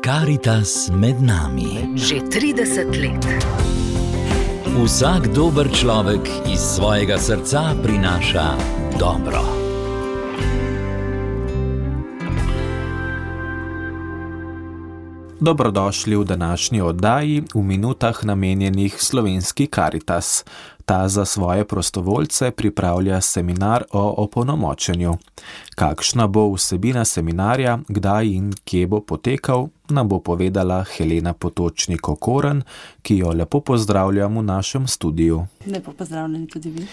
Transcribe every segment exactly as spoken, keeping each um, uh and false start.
Karitas med nami. Že trideset let. Vsak dober človek iz svojega srca prinaša dobro. Dobrodošli v današnji oddaji v minutah namenjenih Slovenski Karitas. Ta za svoje prostovoljce pripravlja seminar o opolnomočenju. Kakšna bo vsebina seminarja, kdaj in kje bo potekal, nam bo povedala Helena Potočnik-Okorn, ki jo lepo pozdravljam v našem studiu. Lepo pozdravljeni tudi vi.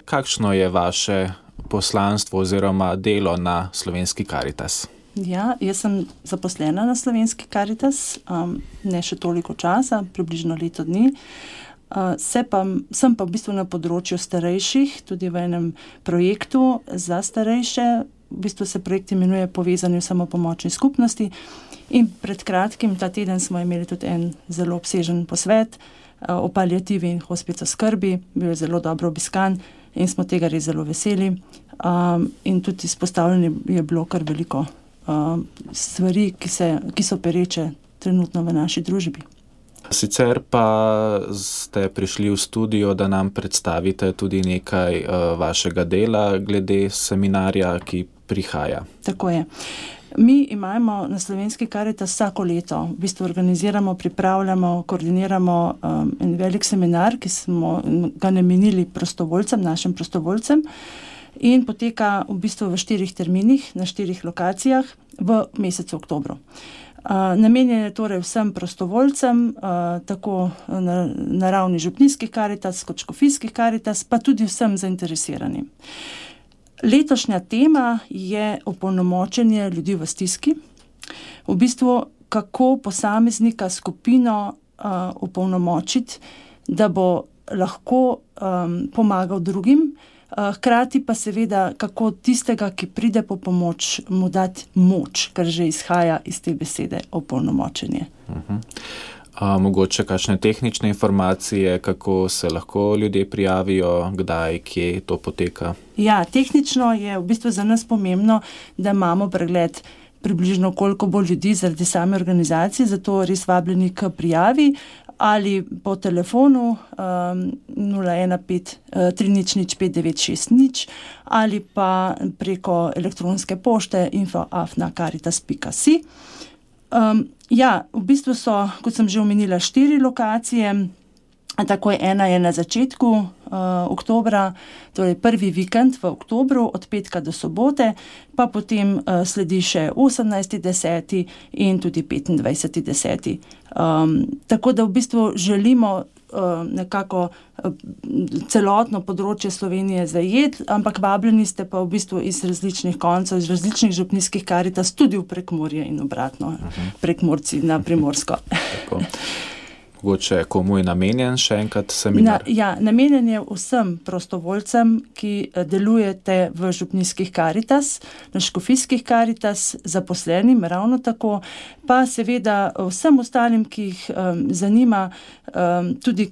Kakšno je vaše poslanstvo oziroma delo na Slovenski Karitas? Ja, jaz sem zaposlena na Slovenski Karitas, um, ne še toliko časa, približno leto dni. Uh, se pa, sem pa v bistvu na področju starejših, tudi v enem projektu za starejše. V bistvu se projekt imenuje Povezani v samopomočni skupnosti. In pred kratkim, ta teden, smo imeli tudi en zelo obsežen posvet uh, o paliativi in hospicoskrbi. Bil je zelo dobro obiskan in smo tega res zelo veseli. Um, in tudi izpostavljeni je bilo kar veliko uh, stvari, ki, se, ki so pereče trenutno v naši družbi. Sicer pa ste prišli v studio, da nam predstavite tudi nekaj uh, vašega dela glede seminarja, ki prihaja. Tako je. Mi imamo na Slovenski Karitas vsako leto, v bistvu organiziramo, pripravljamo, koordiniramo um, en velik seminar, ki smo ga namenili prostovoljcem, našim prostovoljcem, in poteka v bistvu v štirih terminih, na štirih lokacijah v mesecu oktobru. Uh, namenjen je torej vsem prostovoljcem, uh, tako na, na ravni župnijskih Karitas kot škofijskih Karitas, pa tudi vsem zainteresiranim. Letošnja tema je opolnomočenje ljudi v stiski. V bistvu, kako posameznika, skupino uh, opolnomočiti, da bo lahko um, pomagal drugim, hkrati pa seveda, kako tistega, ki pride po pomoč, mu dati moč, kar že izhaja iz te besede opolnomočenje. Uh-huh. A, mogoče kakšne tehnične informacije, kako se lahko ljudje prijavijo, kdaj, kje to poteka? Ja, tehnično je v bistvu za nas pomembno, da imamo pregled približno koliko bo ljudi zaradi same organizacije, zato res vabljeni k prijavi ali po telefonu um, nula ena pet tri nič nič pet devet šest nič ali pa preko elektronske pošte info afna karitas pika si. Um, ja, v bistvu so, kot sem že omenila, štiri lokacije. Tako je ena je na začetku uh, oktobra, torej prvi vikend v oktobru, od petka do sobote, pa potem uh, sledi še osemnajsti deseti in tudi petindvajseti deseti. Um, tako da v bistvu želimo uh, nekako uh, celotno področje Slovenije zajeti, ampak vabljeni ste pa v bistvu iz različnih koncev, iz različnih župnijskih Karitas, tudi v Prekmurje in obratno, uh-huh. Prekmurci na Primorsko. Tako. Mogoče komu je namenjen še enkrat seminar? Na, ja, namenjen je vsem prostovoljcem, ki delujete v župnijskih Karitas, na škofijskih Karitas, zaposlenim ravno tako, pa seveda vsem ostalim, ki jih um, zanima um, tudi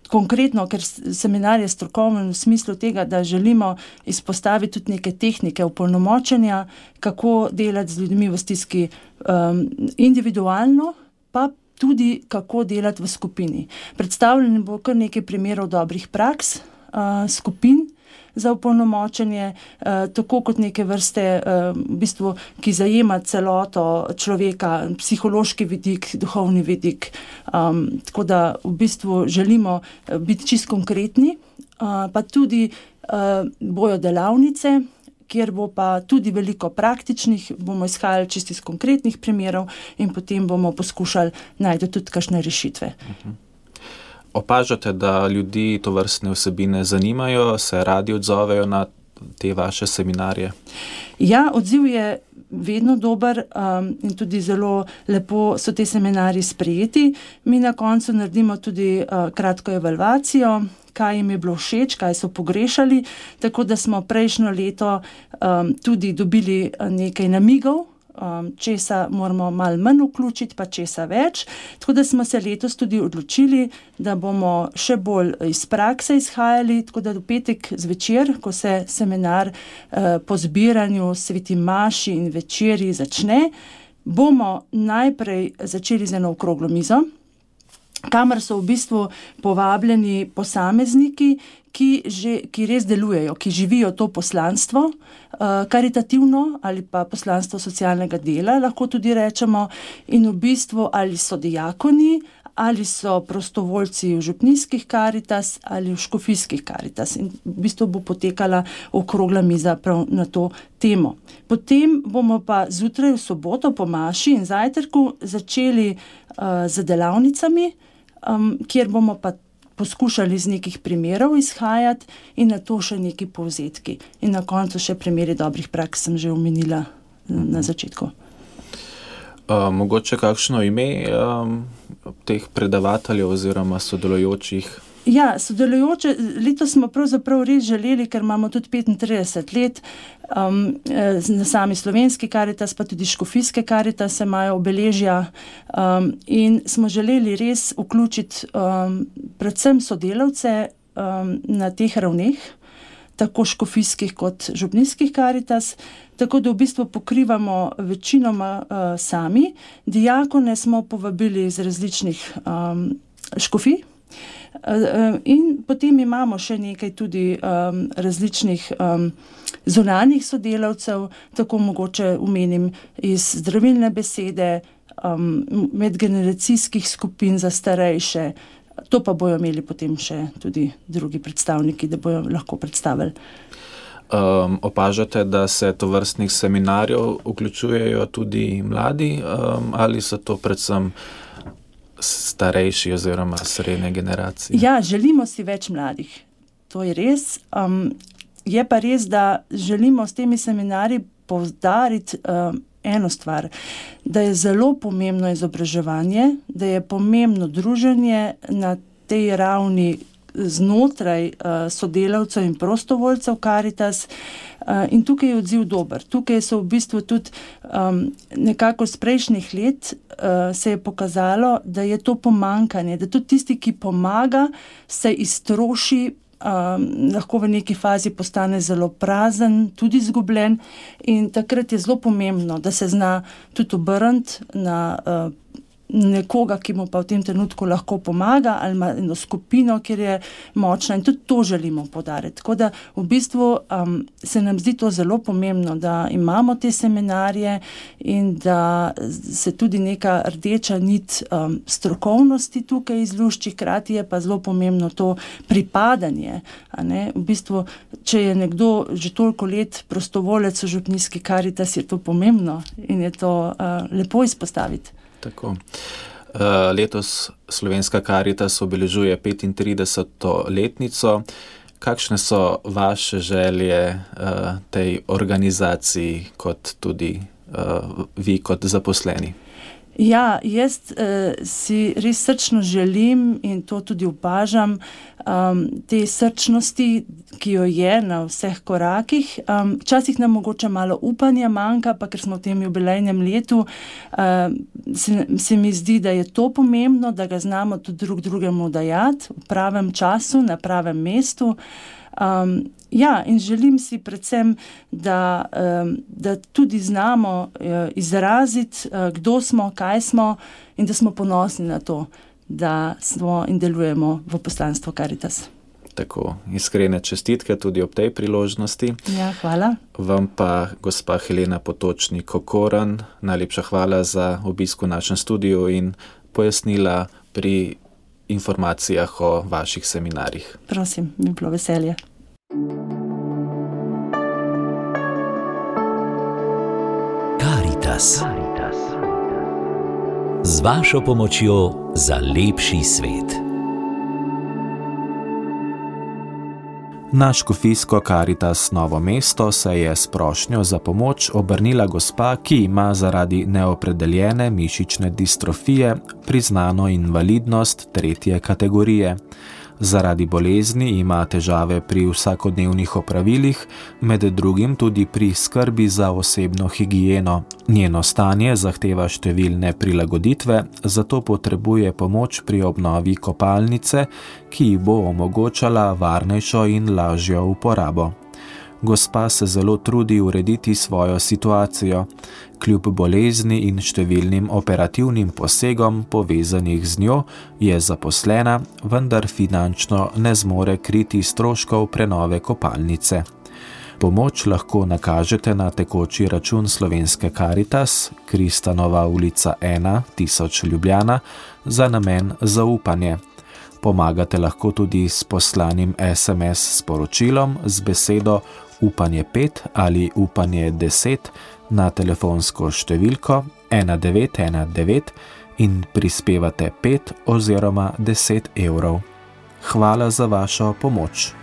konkretno, ker seminar je strokoven v smislu tega, da želimo izpostaviti tudi neke tehnike opolnomočenja, kako delati z ljudmi v stiski um, individualno, pa tudi kako delati v skupini. Predstavljeno bo kar nekaj primerov dobrih praks uh, skupin za opolnomočenje, uh, tako kot neke vrste, uh, v bistvu, ki zajema celoto človeka, psihološki vidik, duhovni vidik. Um, tako da v bistvu želimo biti čisto konkretni, uh, pa tudi uh, bojo delavnice, kjer bo pa tudi veliko praktičnih, bomo izhajali čisto iz konkretnih primerov in potem bomo poskušali najti tudi kakšne rešitve. Uh-huh. Opažate, da ljudi tovrstne vsebine zanimajo, se radi odzovejo na te vaše seminarje? Ja, odziv je vedno dober um, in tudi zelo lepo so te seminarji sprejeti. Mi na koncu naredimo tudi uh, kratko evalvacijo, kaj jim je bilo všeč, kaj so pogrešali, tako da smo prejšnjo leto um, tudi dobili nekaj namigov, um, česa moramo malo manj vključiti, pa česa več. Tako da smo se letos tudi odločili, da bomo še bolj iz prakse izhajali, tako da do petek zvečer, ko se seminar uh, po zbiranju sveti maši in večeri začne, bomo najprej začeli z eno okroglo mizo, kamor so v bistvu povabljeni posamezniki, ki, že, ki res delujejo, ki živijo to poslanstvo, uh, karitativno ali pa poslanstvo socialnega dela, lahko tudi rečemo, in v bistvu ali so dijakoni, ali so prostovoljci v župnijskih Karitas ali v škofijskih Karitas. In v bistvu bo potekala okrogla miza prav na to temo. Potem bomo pa zjutraj v soboto po maši in zajtrku začeli uh, z delavnicami, um, kjer bomo pa poskušali z nekih primerov izhajati in na to še neki povzetki. In na koncu še primeri dobrih praks, sem že omenila mm-hmm. na začetku. Uh, mogoče kakšno ime um, teh predavateljev oziroma sodelujočih? Ja, sodelujoče, letos smo pravzaprav res želeli, ker imamo tudi petintrideset let, um, na sami slovenski Karitas, pa tudi škofijske Karitas se imajo obeležja um, in smo želeli res vključiti um, predvsem sodelavce um, na teh ravneh, tako škofijskih kot župnijskih Karitas, tako da v bistvu pokrivamo večinoma uh, sami. Dijakone smo povabili iz različnih um, škofij, in potem imamo še nekaj tudi um, različnih um, zunanjih sodelavcev, tako mogoče omenim iz zdravilne besede, um, medgeneracijskih skupin za starejše, to pa bojo imeli potem še tudi drugi predstavniki, da bojo lahko predstavili. Um, opažate, da se tovrstnih seminarjev vključujejo tudi mladi, um, ali so to predvsem starejši oziroma srednje generacije? Ja, želimo si več mladih. To je res. Um, je pa res, da želimo s temi seminarji poudariti um, eno stvar, da je zelo pomembno izobraževanje, da je pomembno druženje na tej ravni znotraj uh, sodelavcev in prostovoljcev Karitas uh, in tukaj je odziv dober. Tukaj so v bistvu tudi um, nekako z prejšnjih let uh, se je pokazalo, da je to pomankanje, da tudi tisti, ki pomaga, se iztroši, um, lahko v neki fazi postane zelo prazen, tudi izgubljen in takrat je zelo pomembno, da se zna tudi obrniti na uh, nekoga, ki mu pa v tem trenutku lahko pomaga, ali ima eno skupino, kjer je močna in tudi to želimo poudariti. Tako da v bistvu um, se nam zdi to zelo pomembno, da imamo te seminarje in da se tudi neka rdeča nit um, strokovnosti tukaj izlušči, hkrati je pa zelo pomembno to pripadanje. A ne? V bistvu, če je nekdo že toliko let prostovolec v župnijski Karitas, je to pomembno in je to uh, lepo izpostaviti. Tako. Letos Slovenska Karitas obeležuje petintrideseto letnico. Kakšne so vaše želje tej organizaciji, kot tudi vi kot zaposleni? Ja, jaz uh, si res srčno želim in to tudi opažam, um, te srčnosti, ki jo je na vseh korakih. Um, včasih nam mogoče malo upanja manjka, pa ker smo v tem jubilejnem letu, uh, se, se mi zdi, da je to pomembno, da ga znamo tudi drug drugemu dajati v pravem času, na pravem mestu. Um, ja, in želim si predvsem, da, um, da tudi znamo uh, izraziti, uh, kdo smo, kaj smo in da smo ponosni na to, da smo in delujemo v poslanstvu Karitas. Tako, iskrene čestitke tudi ob tej priložnosti. Ja, hvala. Vam pa, gospa Helena Potočnik-Kokoran, najlepša hvala za obisk v našem studiu in pojasnila pri informacijah o vaših seminarjih. Prosim, mi bilo veselje. Karitas. Z vašo pomočjo za lepši svet. Na škofijsko Karitas Novo mesto se je s prošnjo za pomoč obrnila gospa, ki ima zaradi neopredeljene mišične distrofije priznano invalidnost tretje kategorije. Zaradi bolezni ima težave pri vsakodnevnih opravilih, med drugim tudi pri skrbi za osebno higieno. Njeno stanje zahteva številne prilagoditve, zato potrebuje pomoč pri obnovi kopalnice, ki ji bo omogočala varnejšo in lažjo uporabo. Gospa se zelo trudi urediti svojo situacijo. Kljub bolezni in številnim operativnim posegom povezanih z njo je zaposlena, vendar finančno ne zmore kriti stroškov prenove kopalnice. Pomoč lahko nakažete na tekoči račun Slovenske Karitas, Kristanova ulica ena, tisoč Ljubljana, za namen zaupanje. Pomagate lahko tudi s poslanim es em es sporočilom z besedo upanje pet ali upanje deset na telefonsko številko ena devet ena devet in prispevate pet oziroma deset evrov. Hvala za vašo pomoč.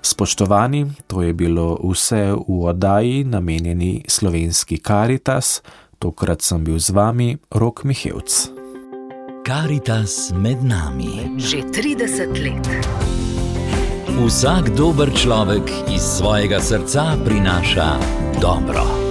Spoštovani, to je bilo vse v oddaji namenjeni Slovenski Karitas. Tokrat sem bil z vami Rok Mihevc. Karitas med nami. Že trideset let. Vsak dober človek iz svojega srca prinaša dobro.